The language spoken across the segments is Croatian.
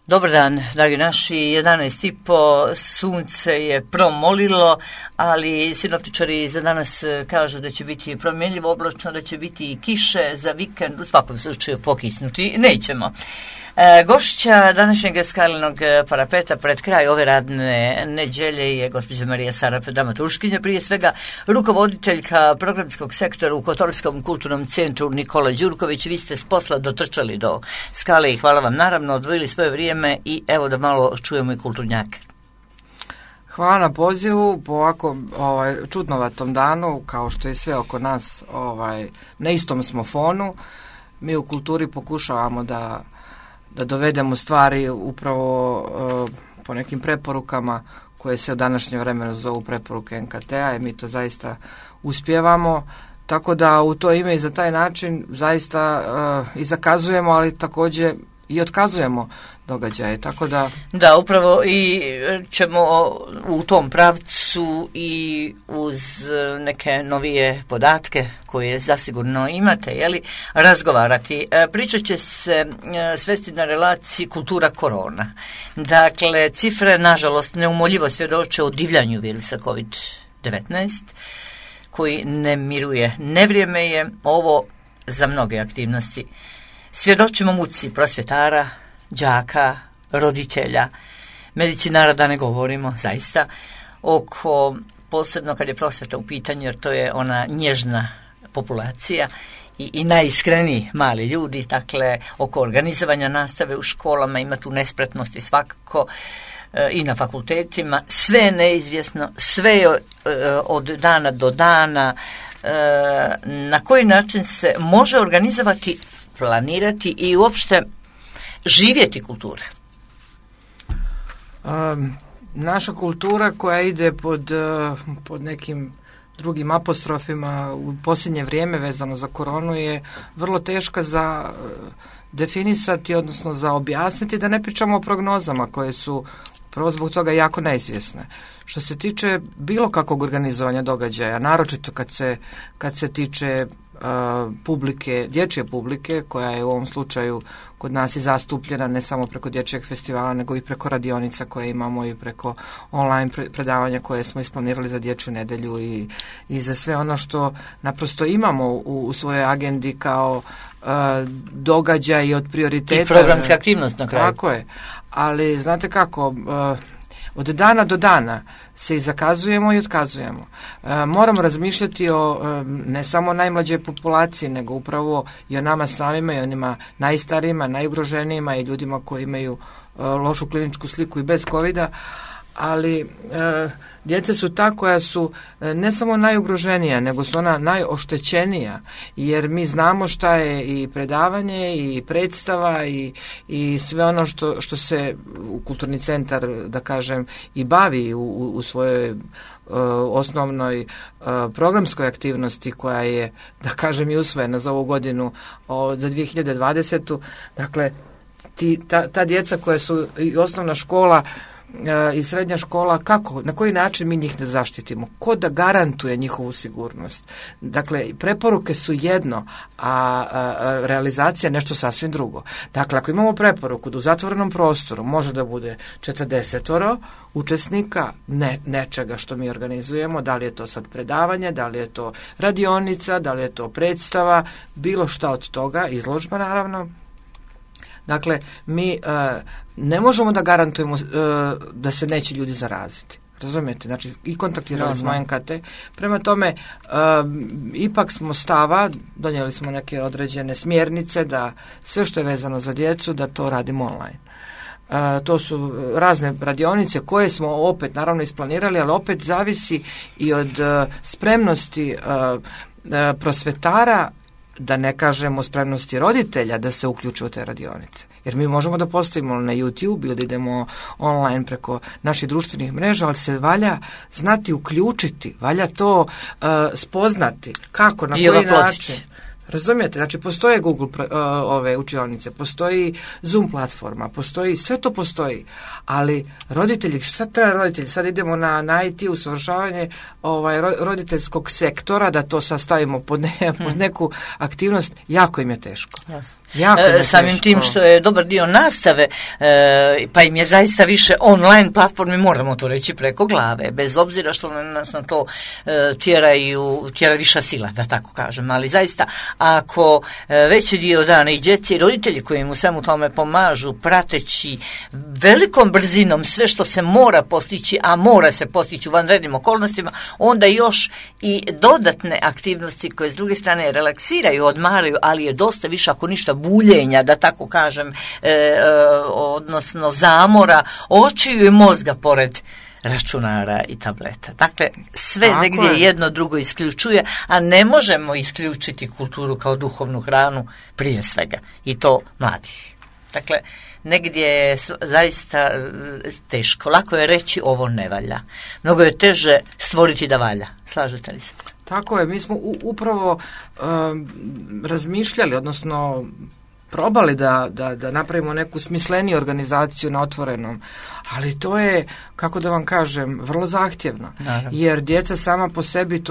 Dobar dan, dragi naši, 11:30, sunce je promolilo, ali sinoptičari za danas kažu da će biti promjenljivo oblačno, da će biti i kiše za vikend, u svakom slučaju pokisnuti nećemo. Gošća današnjeg Skalinog parapeta pred kraj ove radne nedjelje je gospođa Marija Sarap, dramaturškinja, prije svega rukovoditeljka programskog sektora u Kotorskom kulturnom centru Nikola Đurković. Vi ste s posla dotrčali do Skale i hvala vam, naravno, odvojili svoje vrijeme i evo da malo čujemo i kulturnjake. Hvala na pozivu po ovako čudnovatom danu, kao što je sve oko nas, na istom smo fonu. Mi u kulturi pokušavamo da dovedemo stvari upravo po nekim preporukama koje se u današnje vremenu zovu preporuke NKT-a i mi to zaista uspijevamo. Tako da u to ime i za taj način zaista i zakazujemo, ali također i otkazujemo događaje, tako da... Da, upravo i ćemo u tom pravcu i uz neke novije podatke koje zasigurno imate, razgovarati. Pričat će se svesti na relaciji kultura korona. Dakle, cifre, nažalost, neumoljivo svjedoče o divljanju virusa COVID-19, koji ne miruje. Nevrijeme je ovo za mnoge aktivnosti. Svjedočimo muci prosvjetara, đaka, roditelja, medicinara, da ne govorimo, zaista, oko, posebno kad je prosvjeta u pitanju, jer to je ona nježna populacija i najiskreniji mali ljudi, dakle, oko organizovanja nastave u školama ima tu nespretnosti svakako i na fakultetima, sve je neizvjesno, sve je od dana do dana, na koji način se može organizovati, planirati i uopšte živjeti kultura? Naša kultura koja ide pod nekim drugim apostrofima u posljednje vrijeme vezano za koronu je vrlo teška za definisati, odnosno za objasniti, da ne pričamo o prognozama koje su prvo zbog toga jako neizvjesne. Što se tiče bilo kakvog organizovanja događaja, naročito kad se tiče publike, dječje publike, koja je u ovom slučaju kod nas i zastupljena ne samo preko dječjeg festivala, nego i preko radionica koje imamo i preko online predavanja koje smo isplanirali za dječju nedjelju i za sve ono što naprosto imamo u svojoj agendi kao događaj od prioriteta. I programska aktivnost na kraju. Tako je. Ali znate kako, od dana do dana se i zakazujemo i otkazujemo. Moramo razmišljati o ne samo najmlađoj populaciji, nego upravo i o nama samima i onima najstarijima, najugroženijima i ljudima koji imaju lošu kliničku sliku i bez covida, ali djeca su ta koja su ne samo najugroženija, nego su ona najoštećenija, jer mi znamo šta je i predavanje i predstava i sve ono što se u kulturni centar, da kažem, i bavi u svojoj osnovnoj programskoj aktivnosti koja je, da kažem, i usvojena za ovu godinu za 2020. Dakle, ta djeca koja su i osnovna škola i srednja škola, kako, na koji način mi njih ne zaštitimo, ko da garantuje njihovu sigurnost. Dakle, preporuke su jedno, a realizacija nešto sasvim drugo. Dakle, ako imamo preporuku da u zatvorenom prostoru može da bude 40 učesnika nečega što mi organizujemo, da li je to sad predavanje, da li je to radionica, da li je to predstava, bilo šta od toga, izložba naravno. Dakle, mi ne možemo da garantujemo da se neće ljudi zaraziti. Razumijete? Znači, i kontaktirali smo NKT. Prema tome, ipak smo stava, donijeli smo neke određene smjernice da sve što je vezano za djecu, da to radimo online. To su razne radionice koje smo opet naravno isplanirali, ali opet zavisi i od spremnosti prosvetara, da ne kažemo spremnosti roditelja da se uključe u te radionice. Jer mi možemo da postavimo na YouTube ili da idemo online preko naših društvenih mreža, ali se valja znati uključiti, valja to spoznati. Kako, na koji način. Razumijete? Znači, postoje Google ove učionice, postoji Zoom platforma, postoji, sve to postoji, ali roditelji, šta treba roditelji? Sad idemo na IT usavršavanje roditeljskog sektora, da to sad stavimo pod neku aktivnost, jako im je teško. Samim tim što je dobar dio nastave, pa im je zaista više online platformi, moramo to reći, preko glave, bez obzira što nas na to tjera viša sila, da tako kažem, ali zaista ako veći dio dana i djeci i roditelji koji im u svemu tome pomažu, prateći velikom brzinom sve što se mora postići, a mora se postići u vanrednim okolnostima, onda još i dodatne aktivnosti koje s druge strane relaksiraju, odmaraju, ali je dosta više, ako ništa, buljenja, da tako kažem, odnosno zamora očiju i mozga pored računara i tableta. Dakle, sve tako negdje jedno drugo isključuje, a ne možemo isključiti kulturu kao duhovnu hranu prije svega, i to mladih. Dakle, negdje je zaista teško. Lako je reći ovo ne valja. Mnogo je teže stvoriti da valja. Slažete li se? Tako je. Mi smo upravo razmišljali, odnosno probali da napravimo neku smisleniju organizaciju na otvorenom, ali to je, kako da vam kažem, vrlo zahtjevno. Naravno. Jer djeca sama po sebi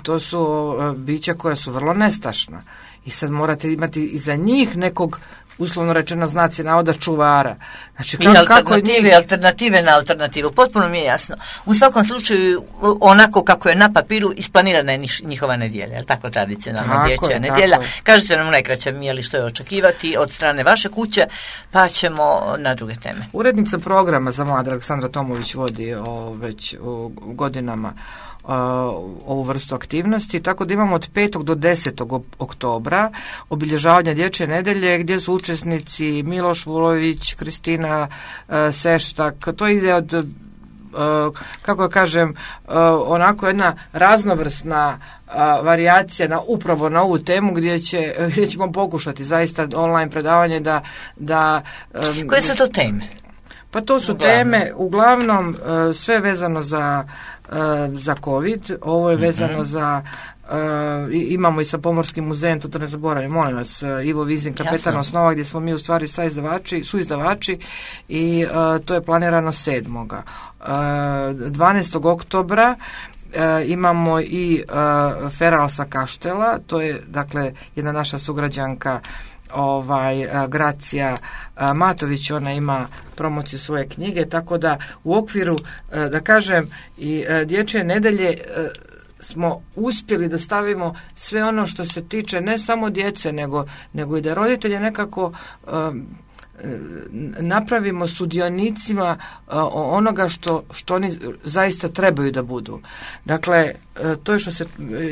to su bića koja su vrlo nestašna. I sad morate imati i za njih nekog, uslovno rečeno znaci navoda, čuvara. Znači, alternative na alternativu. Potpuno mi je jasno. U svakom slučaju, onako kako je na papiru, isplanirana je njihova nedjelja. Je li tako tradicionalna dječja nedjelja? Kažete nam najkraće, Mijeli, što je očekivati od strane vaše kuće, pa ćemo na druge teme. Urednica programa za mlade Aleksandra Tomović vodi već godinama ovu vrstu aktivnosti, tako da imamo od 5. do 10. oktobra obilježavanje dječje nedelje, gdje su učesnici Miloš Vulović, Kristina Seštak. To ide od, kako kažem, onako jedna raznovrsna varijacija upravo na ovu temu gdje ćemo pokušati zaista online predavanje da koje su to teme? Pa to su teme, uglavnom sve vezano za COVID, ovo je vezano za, imamo i sa Pomorskim muzejem, to ne zaboravim, molim vas, Ivo Vizin, kapetan osnova, gdje smo mi u stvari suizdavači i to je planirano 7. 12. oktobra imamo i Feral sa Kaštela, to je dakle jedna naša sugrađanka, Gracija Matović, ona ima promociju svoje knjige, tako da u okviru, da kažem, i dječje nedelje smo uspjeli da stavimo sve ono što se tiče ne samo djece, nego i da roditelje nekako napravimo sudionicima onoga što oni zaista trebaju da budu. Dakle, to je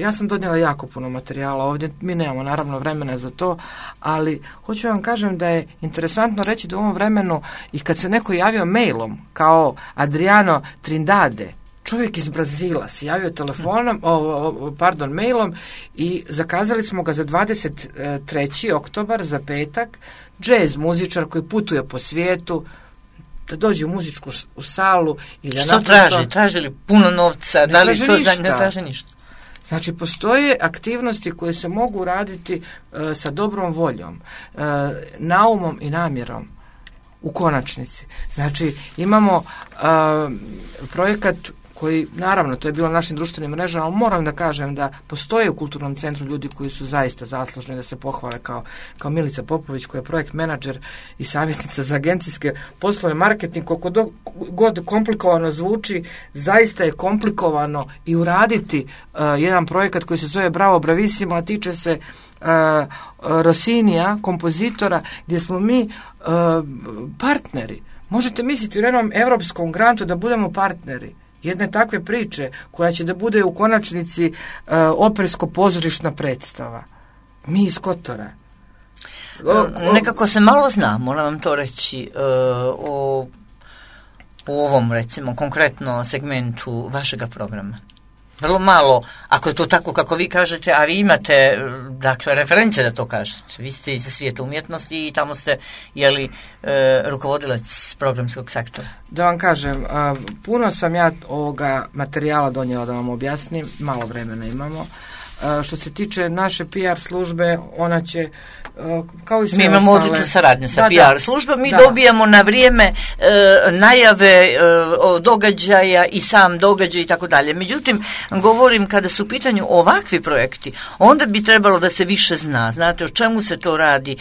ja sam donijela jako puno materijala ovdje, mi nemamo naravno vremena za to, ali hoću vam kažem da je interesantno reći da u ovom vremenu i kad se neko javio mailom kao Adriano Trindade, čovjek iz Brazila se javio telefonom, mailom i zakazali smo ga za 23. oktobar, za petak, jazz muzičar koji putuje po svijetu, da dođe u muzičku salu. I da što traži? Traži li puno novca? Da li to ne traži ništa? Znači, postoje aktivnosti koje se mogu raditi sa dobrom voljom, naumom i namjerom. U konačnici. Znači, imamo projekat koji, naravno, to je bilo na našim društvenim mrežama, ali moram da kažem da postoje u Kulturnom centru ljudi koji su zaista zaslužni da se pohvale, kao Milica Popović, koja je projekt menadžer i savjetnica za agencijske poslove, marketing. Koliko god komplikovano zvuči, zaista je komplikovano i uraditi jedan projekat koji se zove Bravo Bravissimo, a tiče se Rossinija, kompozitora, gdje smo mi partneri. Možete misliti u jednom europskom grantu da budemo partneri jedne takve priče koja će da bude u konačnici opersko-pozorišna predstava. Mi iz Kotora. Nekako se malo zna, moram vam to reći, o ovom, recimo, konkretno segmentu vašega programa. Vrlo malo, ako je to tako kako vi kažete, a vi imate, dakle, reference da to kažete. Vi ste iz svijeta umjetnosti i tamo ste, rukovodilac programskog sektora. Da vam kažem, puno sam ja ovoga materijala donijela da vam objasnim, malo vremena imamo, Što se tiče naše PR službe, ona će kao i sve mi imamo ostale... odličnu saradnju sa Da, PR da. službom, mi Da. dobijamo na vrijeme najave događaja i sam događaj i tako dalje. Međutim, govorim kada su u pitanju ovakvi projekti, onda bi trebalo da se više zna. Znate o čemu se to radi,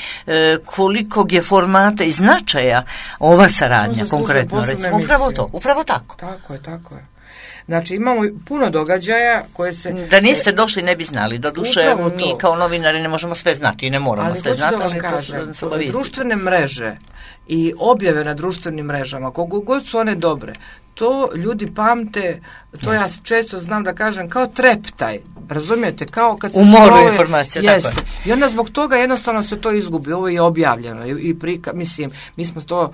kolikog je formata i značaja ova saradnja, konkretno recimo. Upravo tako. Tako je. Znači imamo puno događaja koje se... Da niste došli ne bi znali. Doduše mi kao novinari ne možemo sve znati i ne moramo sve znati. Ali hoću da vam kažem, društvene mreže i objave na društvenim mrežama, koliko god su one dobre, to ljudi pamte, to ja često znam da kažem, kao treptaj. Razumijete, kao kad se moru informacija, jeste. Tako je. I onda zbog toga jednostavno se to izgubi. Ovo je objavljeno mislim, mi smo to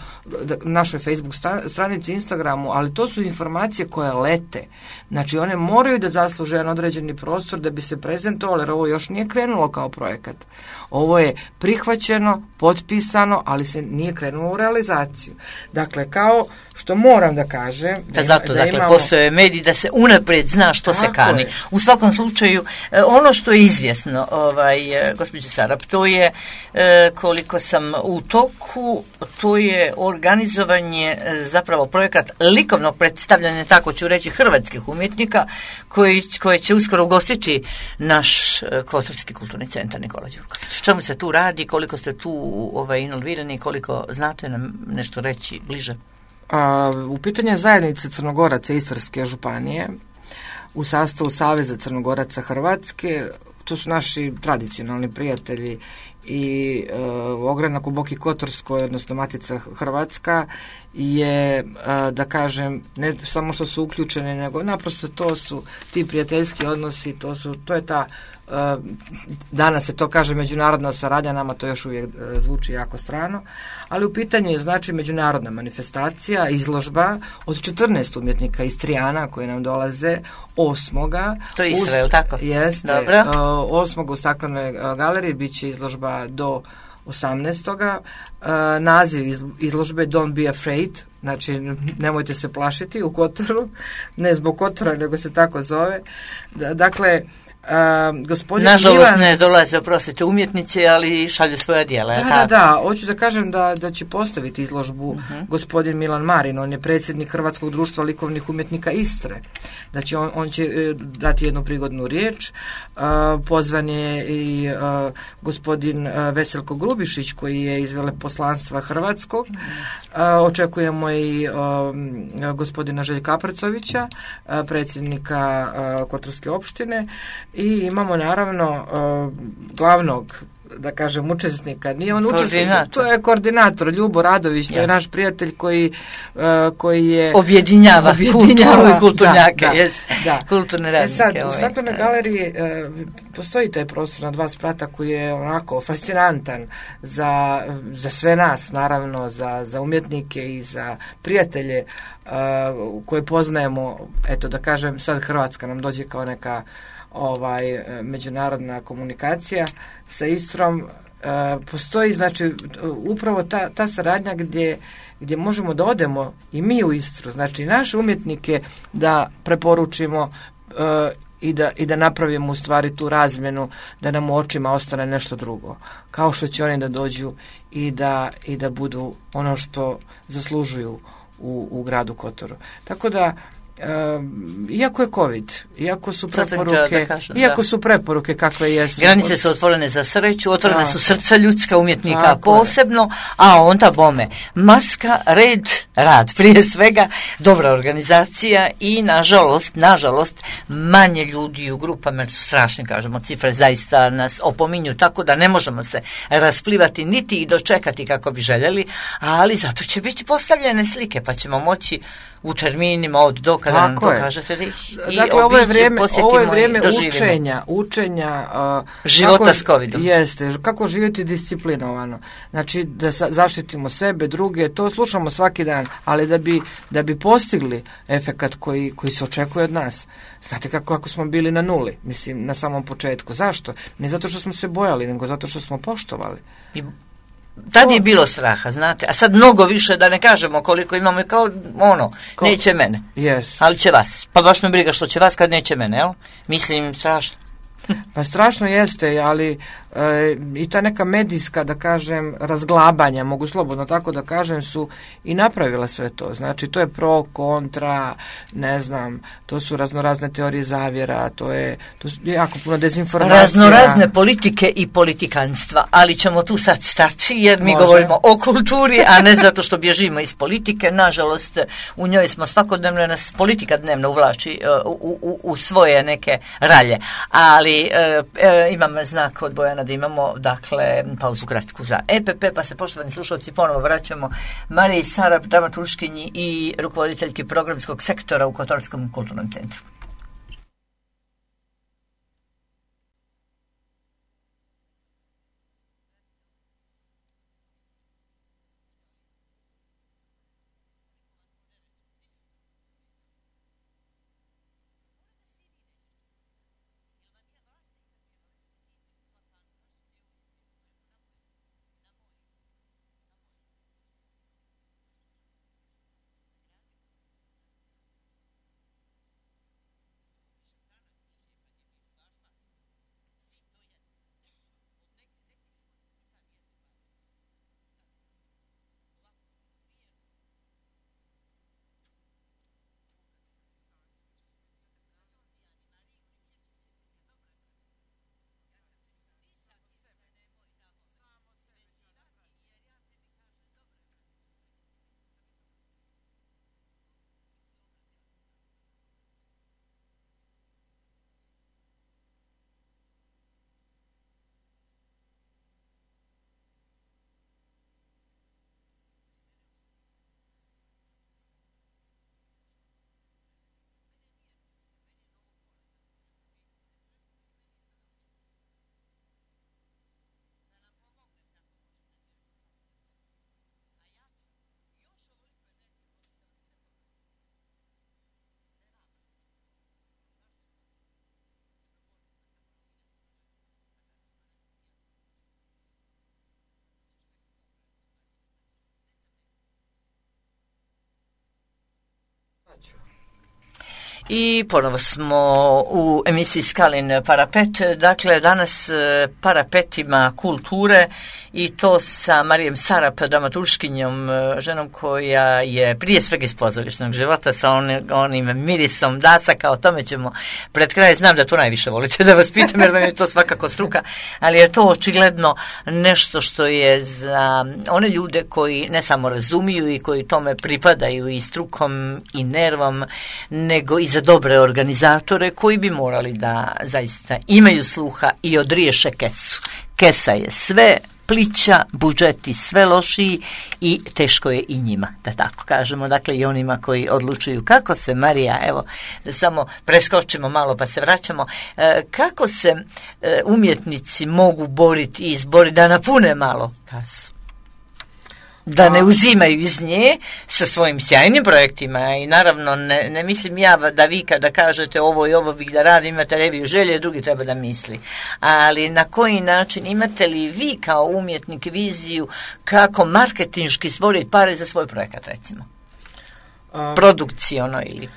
našoj Facebook stranici, Instagramu, ali to su informacije koje lete. Znači one moraju da zasluže jedan određeni prostor da bi se prezentovalo, jer ovo još nije krenulo kao projekat. Ovo je prihvaćeno, potpisano, ali se nije krenulo u realizaciju. Dakle, kao što moram da kažem... Zato, postoje mediji da se unaprijed zna što se kani. U svakom slučaju, ono što je izvjesno, gospođe Sarap, to je, koliko sam u toku, to je organizovanje, zapravo projekat likovnog predstavljanja, tako ću reći, hrvatskih umjetnika, koje će uskoro ugostiti naš Kotorski kulturni centar Nikola Đurković. Čemu se tu radi, koliko ste tu involvirani, koliko znate nam nešto reći bliže? U pitanju zajednice Crnogoraca Istarske županije u sastavu Saveza Crnogoraca Hrvatske, to su naši tradicionalni prijatelji i ogranak u Boki Kotorskoj, odnosno Matica Hrvatska je, da kažem, ne samo što su uključeni, nego naprosto to su ti prijateljski odnosi, to je ta, danas se to kaže međunarodna saradnja, nama to još uvijek zvuči jako strano, ali u pitanju je znači međunarodna manifestacija, izložba od 14 umjetnika iz Trijana koji nam dolaze 8. To je Istra, je li tako? Jeste. Dobro. 8. u Staklenoj galeriji bit će izložba do 18. Naziv izložbe Don't be afraid, znači nemojte se plašiti u Kotoru, ne zbog Kotora, nego se tako zove. Dakle, nažalost ne dolaze, oprostite, umjetnici, ali šalju svoja djela. Da, hoću da kažem da će postaviti izložbu gospodin Milan Marin, on je predsjednik Hrvatskog društva likovnih umjetnika Istre. Znači on će dati jednu prigodnu riječ, pozvan je i gospodin Veselko Grubišić koji je iz veleposlanstva Hrvatskog, očekujemo i gospodina Željka Aprcovića, predsjednika Kotorske opštine, i imamo naravno glavnog, da kažem, učesnika. Nije on učesnik, to je koordinator Ljubo Radović, to je naš prijatelj koji je objedinjava kulturu i kulturnjake, kulturne radnike. Sad, u Staklenoj galeriji postoji taj prostor na 2 sprata koji je onako fascinantan za sve nas, naravno, za umjetnike i za prijatelje koje poznajemo. Eto, da kažem, sad Hrvatska nam dođe kao neka međunarodna komunikacija sa Istrom. Postoji, znači, upravo ta saradnja gdje možemo da odemo i mi u Istru, znači naše umjetnike da preporučimo i da napravimo u stvari tu razmjenu, da nam u očima ostane nešto drugo, kao što će oni da dođu i da budu ono što zaslužuju u gradu Kotoru. Tako da iako je COVID, iako su preporuke kakve jesu. Granice su otvorene za sreću, otvorene su srca ljudska, umjetnika posebno, a onda bome. Maska, rad, prije svega, dobra organizacija i nažalost, manje ljudi u grupama, jer su strašni, kažemo, cifre zaista nas opominju, tako da ne možemo se rasplivati niti i dočekati kako bi željeli, ali zato će biti postavljene slike, pa ćemo moći u terminima od do kada nam to kažete da ih i dakle, ovo je vrijeme učenja života s COVID-om. Jeste, kako živjeti disciplinovano. Znači da zaštitimo sebe, druge, to slušamo svaki dan, ali da bi postigli efekat koji se očekuje od nas. Znate kako smo bili na nuli, mislim, na samom početku. Zašto? Ne zato što smo se bojali, nego zato što smo poštovali. Tad je bilo straha, znate, a sad mnogo više, da ne kažemo koliko imamo, kao neće mene, yes. Ali će vas, pa baš me briga što će vas kad neće mene, jel? Mislim, strašno. Pa strašno jeste, ali i ta neka medijska, da kažem, razglabanja, mogu slobodno tako da kažem, su i napravila sve to. Znači, to je pro, kontra, ne znam, to su raznorazne teorije zavjera, to su jako puno dezinformacija. Raznorazne politike i politikanstva, ali ćemo tu sad stati, jer mi govorimo o kulturi, a ne zato što bježimo iz politike. Nažalost, u njoj smo svakodnevno, nas politika dnevno uvlači u svoje neke ralje. Ali imam znak od Bojana da imamo, dakle, pauzu kratku za EPP, pa se, poštovani slušalci, ponovo vraćamo Mariji Sarap, dramaturškinji i rukovoditeljki programskog sektora u Kotorskom kulturnom centru. I ponovo smo u emisiji Skalin parapet, dakle danas parapetima kulture i to sa Marijom Sarap, dramaturškinjom, ženom koja je prije svega iz pozorišnog života sa onim mirisom dasaka, o tome ćemo pred kraj, znam da to najviše volite da vas pitam jer vam je to svakako struka, ali je to očigledno nešto što je za one ljude koji ne samo razumiju i koji tome pripadaju i strukom i nervom, nego i za dobre organizatore koji bi morali da zaista imaju sluha i odriješe kesu. Kesa je sve plića, budžeti sve lošiji i teško je i njima, da tako kažemo, dakle i onima koji odlučuju. Kako se, Marija, evo da samo preskočimo malo pa se vraćamo, kako se umjetnici mogu boriti i izboriti da napune malo kasu? Da ne uzimaju iz nje sa svojim sjajnim projektima i naravno ne mislim ja da vi kada kažete ovo i ovo bih da radim, imate reviju želje, drugi treba da misli. Ali na koji način, imate li vi kao umjetnik viziju kako marketinški stvoriti pare za svoj projekat, recimo? Produkciono ili?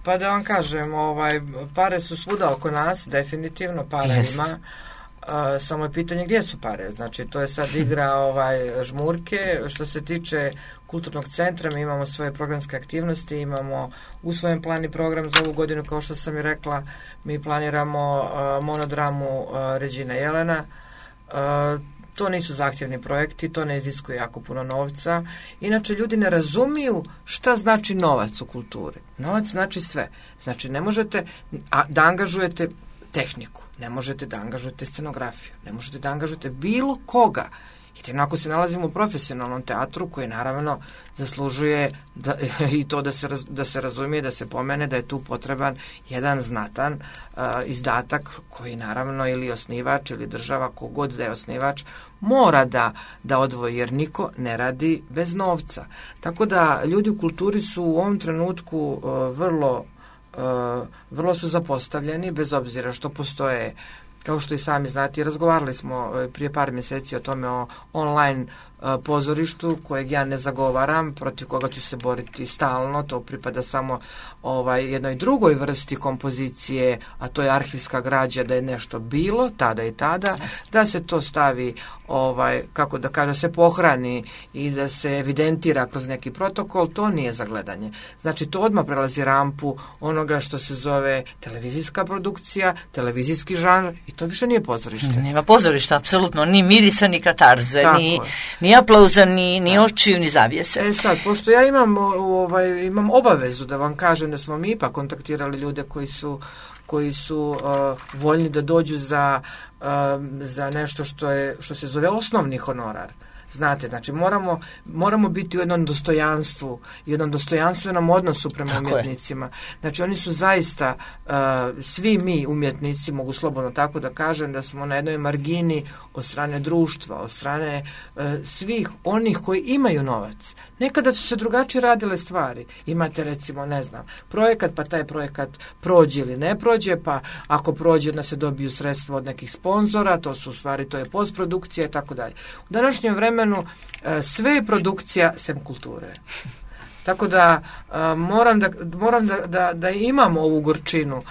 Pa da vam kažem, pare su svuda oko nas, definitivno para ima. Samo je pitanje gdje su pare, znači to je sad igra žmurke. Što se tiče kulturnog centra, mi imamo svoje programske aktivnosti, imamo usvojen plan i program za ovu godinu, kao što sam i rekla, mi planiramo monodramu Ređina Jelena. To nisu zahtjevni projekti, to ne iziskuje jako puno novca. Inače, ljudi ne razumiju šta znači novac u kulturi. Novac znači sve. Znači, ne možete da angažujete tehniku, ne možete da angažujete scenografiju, ne možete da angažujete bilo koga. Jer ako se nalazimo u profesionalnom teatru koji naravno zaslužuje i to da se razumije, da se pomene da je tu potreban jedan znatan izdatak koji naravno ili osnivač ili država, kogod da je osnivač, mora da odvoji, jer niko ne radi bez novca. Tako da ljudi u kulturi su u ovom trenutku vrlo su zapostavljeni, bez obzira što postoje, kao što i sami znate, razgovarali smo prije par mjeseci o tome, o online pozorištu kojeg ja ne zagovaram, protiv koga ću se boriti stalno, to pripada samo jednoj drugoj vrsti kompozicije, a to je arhivska građa, da je nešto bilo tada i tada, da se to stavi, kako da kaže, se pohrani i da se evidentira kroz neki protokol, to nije za gledanje. Znači, to odmah prelazi rampu onoga što se zove televizijska produkcija, televizijski žanr, i to više nije pozorište. Nema pozorišta, apsolutno, ni mirisa, ni katarze, ni aplauza, ni očiju, ni zavjese. Sad, pošto ja imam obavezu da vam kažem da smo mi ipak kontaktirali ljude koji su voljni da dođu za nešto što se zove osnovni honorar. Znate, znači moramo biti u jednom dostojanstvu, jednom dostojanstvenom odnosu prema umjetnicima. Znači oni su zaista, svi mi umjetnici, mogu slobodno tako da kažem, da smo na jednoj margini od strane društva, od strane svih onih koji imaju novac. Nekada su se drugačije radile stvari. Imate recimo, ne znam, projekat, pa taj projekat prođe ili ne prođe, pa ako prođe da se dobiju sredstva od nekih sponzora, to je postprodukcija i tako dalje. U današnjem vremenu sve je produkcija sem kulture. Tako da moram da imam ovu gorčinu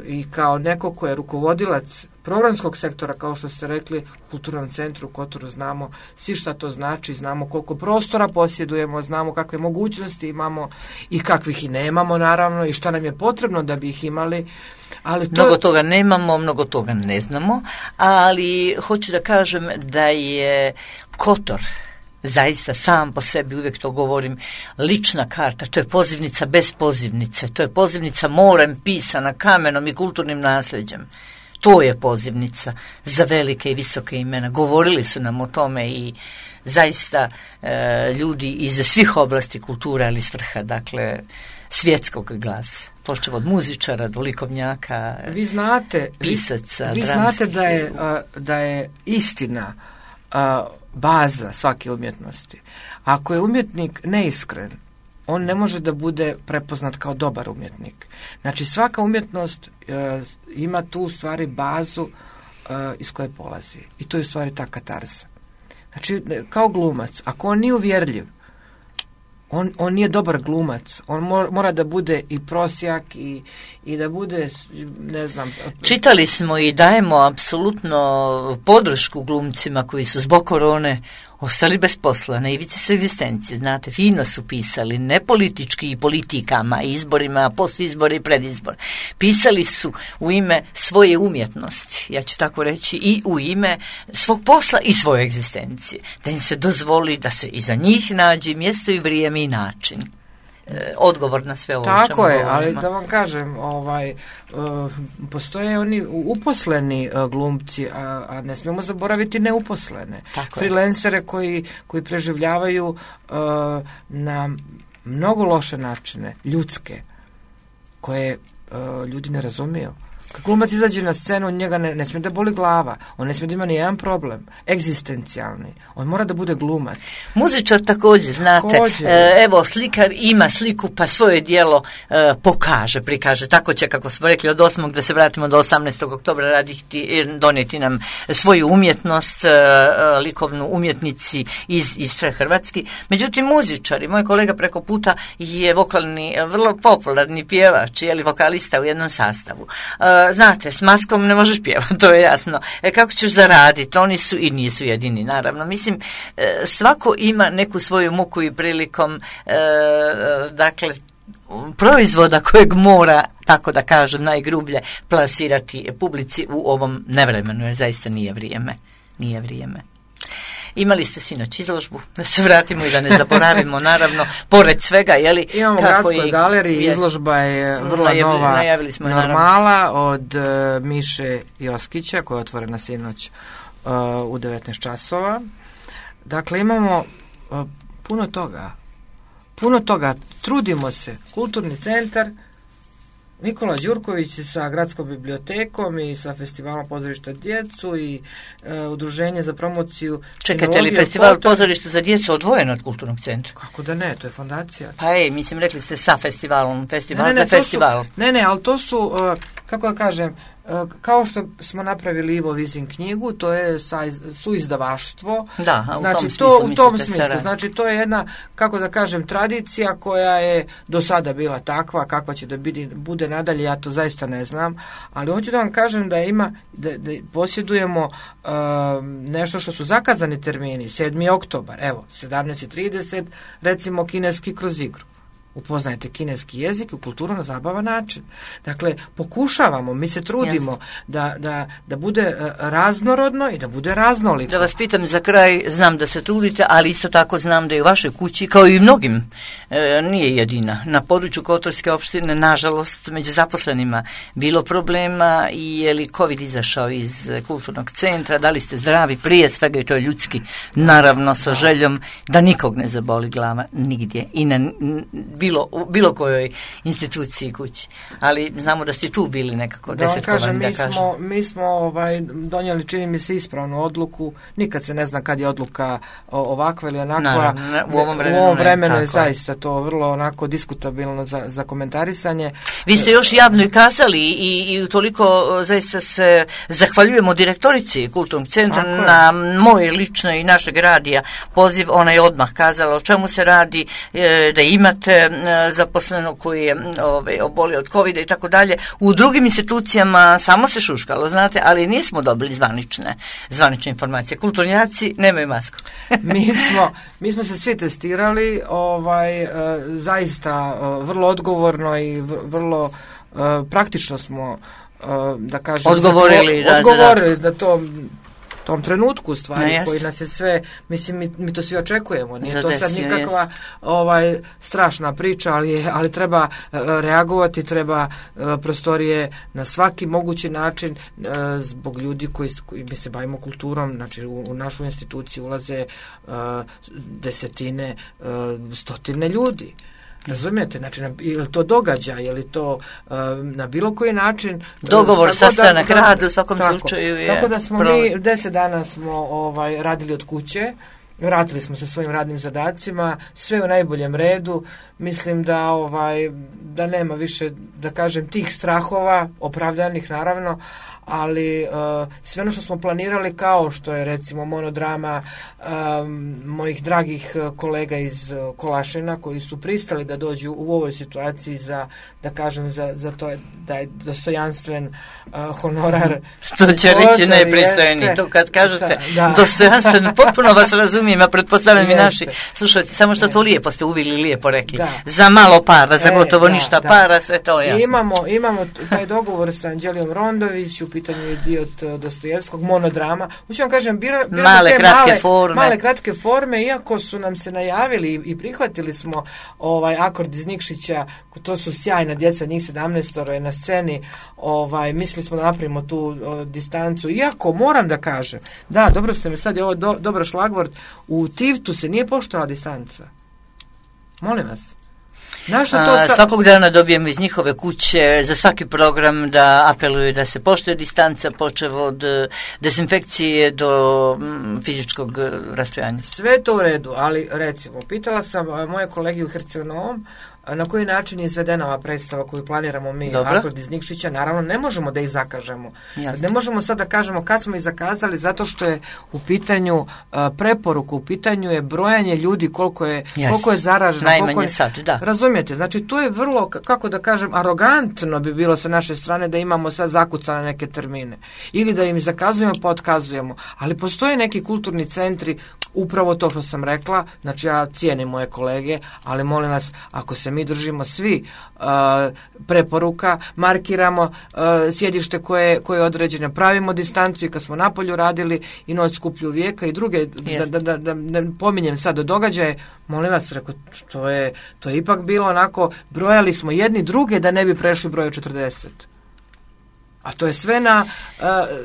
i kao neko ko je rukovodilac programskog sektora, kao što ste rekli, u Kulturnom centru u Kotoru znamo svi šta to znači, znamo koliko prostora posjedujemo, znamo kakve mogućnosti imamo i kakvih i nemamo naravno i šta nam je potrebno da bi ih imali. Ali mnogo toga nemamo, mnogo toga ne znamo, ali hoću da kažem da je Kotor zaista sam po sebi, uvijek to govorim, lična karta, to je pozivnica bez pozivnice, to je pozivnica morem pisana kamenom i kulturnim nasljeđem. To je pozivnica za velike i visoke imena. Govorili su nam o tome i zaista ljudi iz svih oblasti kulture, ali s vrha, dakle, svjetskog glasa. Počev od muzičara do likovnjaka, pisaca, vi znate da je istina baza svake umjetnosti. Ako je umjetnik neiskren, on ne može da bude prepoznat kao dobar umjetnik. Znači, svaka umjetnost ima tu u stvari bazu iz koje polazi. I to je u stvari ta katarza. Znači, kao glumac, ako on nije uvjerljiv, on nije dobar glumac. On mora da bude i prosjak i da bude, ne znam... Čitali smo i dajemo apsolutno podršku glumcima koji su zbog korone ostali bez posla, na ivici su egzistencije, znate, fino su pisali, ne politički i politikama, izborima, postizbor i predizbor. Pisali su u ime svoje umjetnosti, ja ću tako reći, i u ime svog posla i svoje egzistencije. Da im se dozvoli da se iza njih nađe mjesto i vrijeme i način. Odgovor na sve ovo. Tako je, ali da vam kažem, postoje oni uposleni glumci, a ne smijemo zaboraviti neuposlene. Freelancere koji preživljavaju na mnogo loše načine, ljudske, koje ljudi ne razumiju. Kad glumac izađe na scenu, njega ne smije da boli glava, on ne smije da ima ni jedan problem, egzistencijalni, on mora da bude glumac. Muzičar također, znate, evo, slikar ima sliku pa svoje djelo prikaže, tako će, kako smo rekli, od 8. da se vratimo do 18. oktobra donijeti nam svoju umjetnost, likovnu umjetnici iz Hrvatski. Međutim, muzičari, moj kolega preko puta je vokalni, vrlo popularni pjevač, vokalista u jednom sastavu. Znate, s maskom ne možeš pjevati, to je jasno. Kako ćeš zaraditi? Oni su i nisu jedini, naravno. Mislim, svako ima neku svoju muku i prilikom, dakle, proizvoda kojeg mora, tako da kažem, najgrublje plasirati publici u ovom nevremenu, jer zaista nije vrijeme. Imali ste sinoć izložbu, da se vratimo i da ne zaboravimo, naravno, pored svega, Imamo u Gradskoj galeriji, izložba je vrlo nova, Normala, od Miše Joskića, koja je otvorena sinoć u 19 časova. Dakle, imamo puno toga, trudimo se, Kulturni centar, Nikola Đurković sa Gradskom bibliotekom i sa Festivalom pozorišta djecu i Udruženje za promociju. Čekajte li Festival pozorišta za djecu odvojen od Kulturnog centra? Kako da ne, to je fondacija. Pa mislim, rekli ste sa festivalom, festival za festival. Ali to su, kako da kažem, kao što smo napravili Ivo Vizin knjigu, to je suizdavaštvo. Da, znači, u tom smislu. Znači, to je jedna, kako da kažem, tradicija koja je do sada bila takva, kakva će da bude nadalje, ja to zaista ne znam, ali hoću da vam kažem da da posjedujemo nešto što su zakazani termini, 7. oktobar, evo, 17:30, recimo kineski kroz igru. Upoznajete kineski jezik i kulturu na zabavan način. Dakle, pokušavamo, mi se trudimo da bude raznorodno i da bude raznoliko. Da vas pitam za kraj, znam da se trudite, ali isto tako znam da i u vašoj kući, kao i u mnogim, nije jedina. Na području Kotorske opštine, nažalost, među zaposlenima bilo problema i je li COVID izašao iz kulturnog centra, da li ste zdravi, prije svega i to je ljudski, naravno sa željom da nikog ne zaboli glava nigdje i na bilo kojoj instituciji kući. Ali znamo da ste tu bili nekako desetkovani, da kažem. Mi smo donijeli, čini mi se, ispravnu odluku. Nikad se ne zna kad je odluka ovakva ili onakva. Naravno, u ovom vremenu je zaista to vrlo onako diskutabilno za komentarisanje. Vi ste još javno i kazali i toliko zaista se zahvaljujemo direktorici Kulturnog centra na moje lično i našeg radija poziv. Ona je odmah kazala o čemu se radi, da imate zaposlenog koji je obolio od COVID-a i tako dalje. U drugim institucijama samo se šuškalo, znate, ali nismo dobili zvanične informacije. Kulturnjaci nemaju masku. mi smo se svi testirali, zaista vrlo odgovorno i vrlo praktično smo, da kažem, odgovorili da to tom trenutku stvari koji nas je sve, mislim, mi to svi očekujemo, nije to sad nikakva strašna priča, ali treba reagovati, treba prostorije na svaki mogući način zbog ljudi koji mi se bavimo kulturom, znači u našu instituciju ulaze desetine, stotine ljudi. Razumijete? Znači, je li to događaj, je li to na bilo koji način... Dogovor, sastanak, rad u svakom slučaju je... Tako da smo mi 10 dana smo radili od kuće, vratili smo se svojim radnim zadacima, sve u najboljem redu. Mislim da nema više, da kažem, tih strahova, opravdanih naravno, ali sve ono što smo planirali, kao što je recimo monodrama mojih dragih kolega iz Kolašina koji su pristali da dođu u ovoj situaciji za to da je dostojanstven honorar. Što će reći nepristojni, to kad kažete dostojanstven, potpuno vas razumijem, a pretpostavljam i naši slušajte, samo što to lijepo ste uvili, lijepo rekli. Za malo para, za gotovo ništa para, sve to jasno. Imamo taj dogovor sa Anđelijom Rondović, u pitanju je dio od Dostojevskog, monodrama. Ući vam kažem, male kratke forme, iako su nam se najavili i prihvatili smo Akord iz Nikšića, to su sjajna djeca, njih 17 je na sceni, mislili smo da napravimo tu distancu, iako moram da kažem, da, dobro ste mi, sad je ovo dobro šlagvort, u Tivtu se nije poštovala distanca. Molim vas. Svakog dana dobijemo iz njihove kuće za svaki program da apeluju da se poštuje distanca, počev od dezinfekcije do fizičkog rastojanja. Sve to u redu, ali recimo, pitala sam moje kolege u Herceg-Novom na koji način je izvedena ova predstava koju planiramo mi, Akord iz Nikšića. Naravno, ne možemo da ih zakažemo. Jasne. Ne možemo sad da kažemo kad smo ih zakazali, zato što je u pitanju preporuku, u pitanju je brojanje ljudi koliko je zaraženo. Najmanje sad, da. Razumijete, znači to je vrlo, kako da kažem, arogantno bi bilo sa naše strane da imamo sad zakucane neke termine. Ili da im zakazujemo pa otkazujemo. Ali postoje neki kulturni centri, upravo to što sam rekla, znači ja cijenim moje kolege, ali molim vas, ako se mi držimo svi preporuka, markiramo sjedište koje je određeno, pravimo distancu i kad smo napolju radili i Noć skuplju vijeka i druge, da ne pominjem sad događaje, molim vas, reko, to je ipak bilo onako, brojali smo jedni druge da ne bi prešli broj 40. A to je sve na...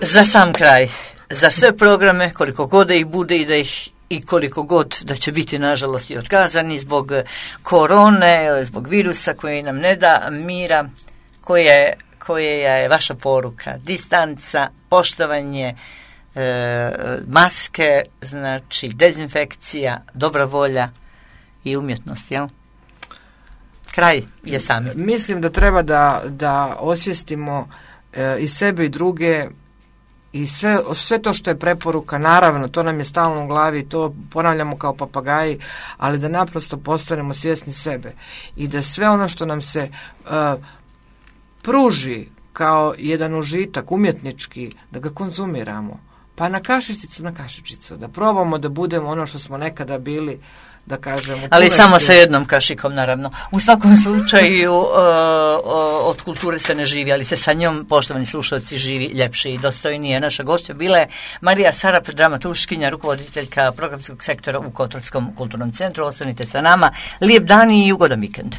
Za sam kraj, za sve programe, koliko god da ih bude i da ih i koliko god da će biti nažalost i otkazani zbog korone, zbog virusa koji nam ne da mira, koja je vaša poruka? Distanca, poštovanje, maske, znači dezinfekcija, dobra volja i umjetnost, jel? Kraj je sami. Mislim da treba da osvijestimo i sebe i druge i sve to što je preporuka, naravno, to nam je stalno u glavi, to ponavljamo kao papagaji, ali da naprosto postanemo svjesni sebe i da sve ono što nam se pruži kao jedan užitak umjetnički, da ga konzumiramo. Pa na kašičicu, da probamo da budemo ono što smo nekada bili, da kažemo. Ali samo sa jednom kašikom, naravno. U svakom slučaju od kulture se ne živi, ali se sa njom, poštovani slušalci, živi ljepše i dostojnije. Naša gošća bila je Marija Sarap, dramaturškinja, rukovoditeljka programskog sektora u Kotorskom kulturnom centru. Ostanite sa nama. Lijep dan i ugodan vikend.